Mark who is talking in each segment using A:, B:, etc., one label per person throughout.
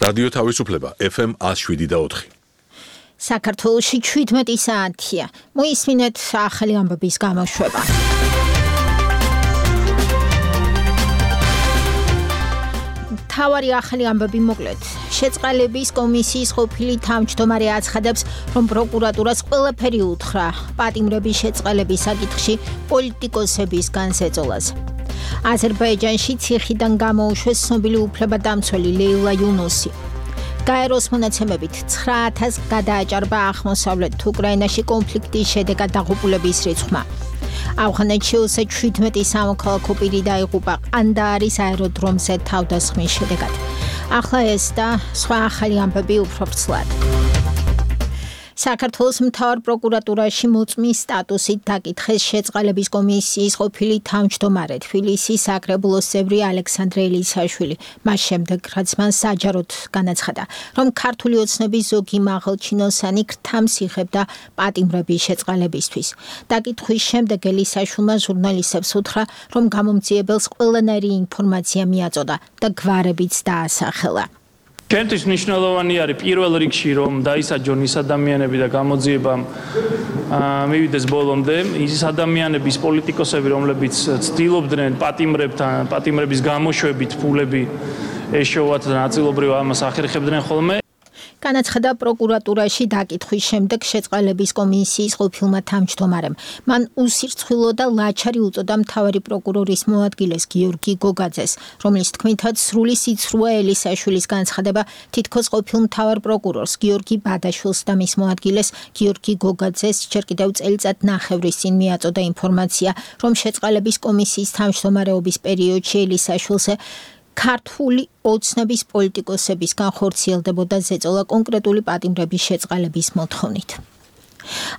A: რადიო თავისუფლება FM 107.4.
B: საქართველოში 17 საათია. მოისმინეთ ახალი ამბების გამოშვება. თავარი ახალი ამბები მოკლედ. შეწყალების კომისიის ყოფილი თავმჯდომარე აცხადებს, რომ პროკურატურას ყველაფერი უთხრა პატიმრების შეწყალების საკითხში პოლიტიკოსებისგან ზეწოლას. აზერბაიჯანში ციხიდან გამოუშვეს ცნობილი უფლებადამცველი ლეილა იუნუსი. გაეროს მონაცემებით 9000 გადააჭარბა აღმოსავლეთ უკრაინაში კონფლიქტის შედეგად დაღუპულების რიცხვმა. ავღანეთში 17 სამოქალაქო პირი დაიღუპა ყანდაარის აეროდრომზე თავდასხმის შედეგად. ახლა ეს და სხვა ახალი ამბები უფრო ვრცლად. საქართველოს მთავარ პროკურატურაში მოწმის სტატუსით დაკითხეს შეწყალების კომისიის ყოფილი თავმჯდომარე თბილისის საკრებულოს წევრი ალექსანდრე ელისაშვილი. მას შემდეგ, რაც მან საჯაროდ განაცხადა, რომ ქართული ოცნების ზოგი მაღალჩინოსანი ქრთამს იღებდა პატიმრების შეწყალებისთვის. დაკითხვის შემდეგ ელისაშვილმა ჟურნალისტებს უთხრა, რომ გამომძიებელს ყველანაირი ინფორმაცია მიაწოდა და გვარებიც დაასახელა.
C: ჩემთვის მნიშვნელოვანი არის პირველ რიგში რომ დაისაჯონ ის ადამიანები და გამოძიება მივიდეს ბოლომდე ის ადამიანების პოლიტიკოსები რომლებიც ცდილობდნენ პატიმრების გამოშვებით ფულები ეშოვათ და ნაწილობრივ ამას ახერხებდნენ ხოლმე.
B: განაცხადა პროკურატურაში დაკითხვის შემდეგ შეწყალების კომისიის ყოფილმა თავმჯდომარემ. მან უსირცხვილო და ლაჩარი უწოდა მთავარი პროკურორის მოადგილეს გიორგი გოგაძეს, რომლის თქმითაც სრული სიცრუა ელისაშვილის განცხადება თითქოს ყოფილ მთავარ პროკურორს გიორგი ბადაშვილს და მის მოადგილეს გიორგი გოგაძეს ჯერ კიდევ წელიწად ნახევრის წინ მიაწოდა ინფორმაცია, რომ შეწყალების კომისიის თავმჯდომარეობის პერიოდში ელისაშვილზე ქართული ოცნების პოლიტიკოსებისგან ხორციელდებოდა ზეწოლა კონკრეტული პატიმრების შეწყალების მოთხოვნით.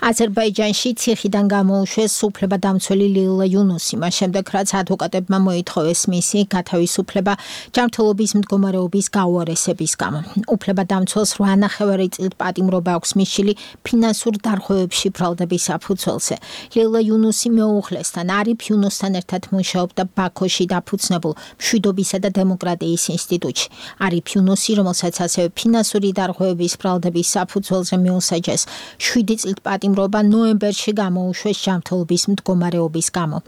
B: აზერბაიჯანში ციხიდან გამოუშვეს უფლებადამცველი ლეილა იუნუსი, მას შემდეგ რაც ადვოკატებმა მოითხოვეს მისი გათავისუფლება ჯანმრთელობის მდგომარეობის გაუარესების გამო. უფლებადამცველს 8.5 წლით პატიმრობა აქვს მისული ფინანსურ დარღვევებში ბრალდების საფუძველზე. ლეილა იუნუსი მეუღლესთან არიფ იუნუსთან ერთად მუშაობდა ბაქოში დაფუძნებულ მშვიდობისა და დემოკრატიის ინსტიტუტში. არიფ იუნუსი, რომელსაც ასევე ფინანსური დარღვევების ბრალდების საფუძველზე მიუსაჯეს 7 წლით პატიმრობა ნოემბერში გამოუშვეს ჯანმრთელობის მდგომარეობის გამო.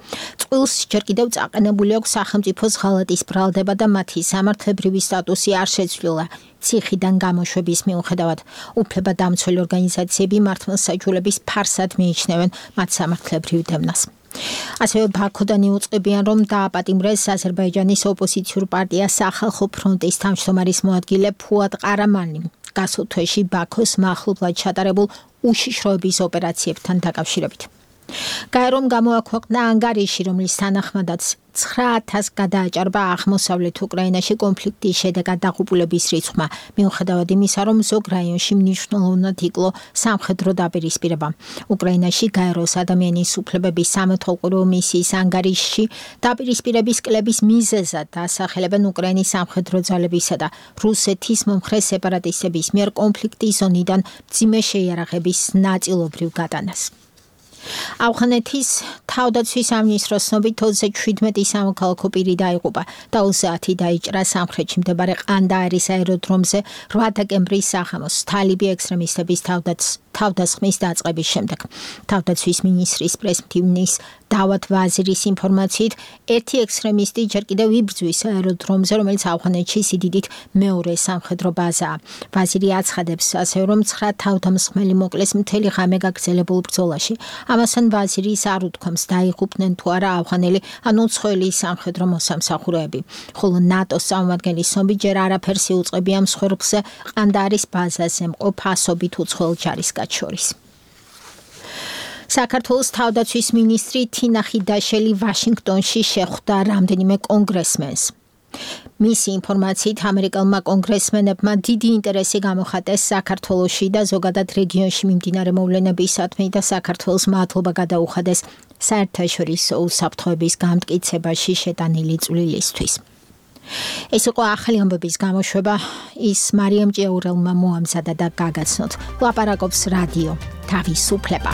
B: წყვილს ჯერ კიდევ წაყენებული აქვს სახელმწიფოს ღალატის ბრალდება და მათი სამართლებრივი სტატუსი არ შეცვლილა. ციხიდან გამოშვების მიუხედავად, უფლებადამცველი ორგანიზაციები მართლმსაჯულების ფარსად მიიჩნევენ მათ სამართლებრივ დევნას. ასევე ბაქოდან იუწყებიან, რომ დააპატიმრეს აზერბაიჯანის ოპოზიციურ პარტია სახალხო ფრონტის თავმჯდომარის მოადგილე ფუად ყარამანი. გასულ თვეში ბაქოს მახლობლად ჩატარებულ უშიშროების ოპერაციებთან დაკავშირებით. გაერომ გამოაქვეყნა ანგარიში, რომლის თანახმადაც 9000 გადააჭარბა აღმოსავლეთ უკრაინაში კონფლიქტის შედეგად დაღუპულების რიცხვმა, მიუხედავად იმისა, რომ ზოგ რაიონში მნიშვნელოვნად იკლო სამხედრო დაპირისპირება. უკრაინაში გაეროს ადამიანის უფლებების სამეთვალყურო მისიის ანგარიშში დაპირისპირების კლების მიზეზად დასახელებენ უკრაინის სამხედრო ძალებისა და რუსეთის მომხრე სეპარატისტების მიერ კონფლიქტის ზონიდან მძიმე შეიარაღების ნაწილობრივ გატანას. ავღანეთის თავდაცვის სამინისტროს ცნობით 27 სამოქალაქო პირი დაიღუპა და 30 დაიჭრა სამხრეთში მდებარე ყანდაარის აეროდრომზე 8 დეკემბრის საღამოს თალიბი ექსტრემისტების თავდასხმის დაწყების შემდეგ. თავდაცვის მინისტრის პრესმტივნის დავათ ვაზირის ინფორმაციით, ერთი ექსტრემისტი ჯერ კიდევ იბრძვის აეროდრომზე, რომელიც ავღანეთში სიდიდით მეორე სამხედრო ბაზაა. ვაზირი აცხადებს ასევე, რომ 9 თავდამსხმელი მოკლეს მთელი ღამე გაგრძელებულ ბრძოლაში. ამასთან ვაზირის არ უთქვამს დაიღუპნენ თუ არა ავღანელი ან უცხოელი სამხედრო მოსამსახურეები. ხოლო ნატოს წარმომადგენლის ცნობით ჯერ არაფერს იუწყებია მსხვერპლზე ყანდაარის ბაზაზე მყოფ ასობით უცხოელ ჯარისკაცს შორის. საქართველოს თავდაცვის მინისტრი თინა ხიდაშელი ვაშინგტონში შეხვდა რამდენიმე კონგრესმენს. მისი ინფორმაციით ამერიკელმა კონგრესმენებმა დიდი ინტერესი გამოხატეს საქართველოში და ზოგადად რეგიონში მიმდინარე მოვლენებისადმი და საქართველოს მადლობა გადაუხადეს საერთაშორისო უსაფრთხოების გამტკიცებაში შეტანილი წვლილისთვის. ეს იყო ახალი ამბების გამოშვება, ის მარიამ ჭიაურელმა მოამზადა და გაგაცნოთ. ლაპარაკობს რადიო თავისუფლება.